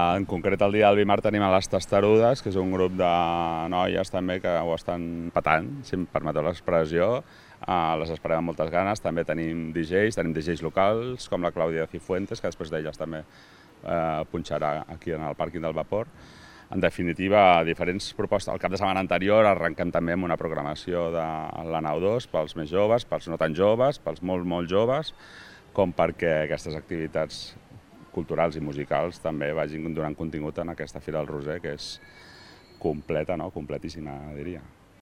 En concret, el dia del Bimar tenim a les Testarudes, que és un grup de noies també que ho estan patant, si em permeteu l'expressió. Les esperem amb moltes ganes. També tenim DJs locals, com la Clàudia Cifuentes, que després d'elles també punxarà aquí en el pàrquing del Vapor. En definitiva, diferents propostes. El cap de setmana anterior arrenquem també amb una programació de la Nau 2 pels més joves, pels no tan joves, pels molt joves, com perquè aquestes activitats culturals i musicals també vagin donant contingut en aquesta Fira del Roser, que és completa, no? Completíssima, diria.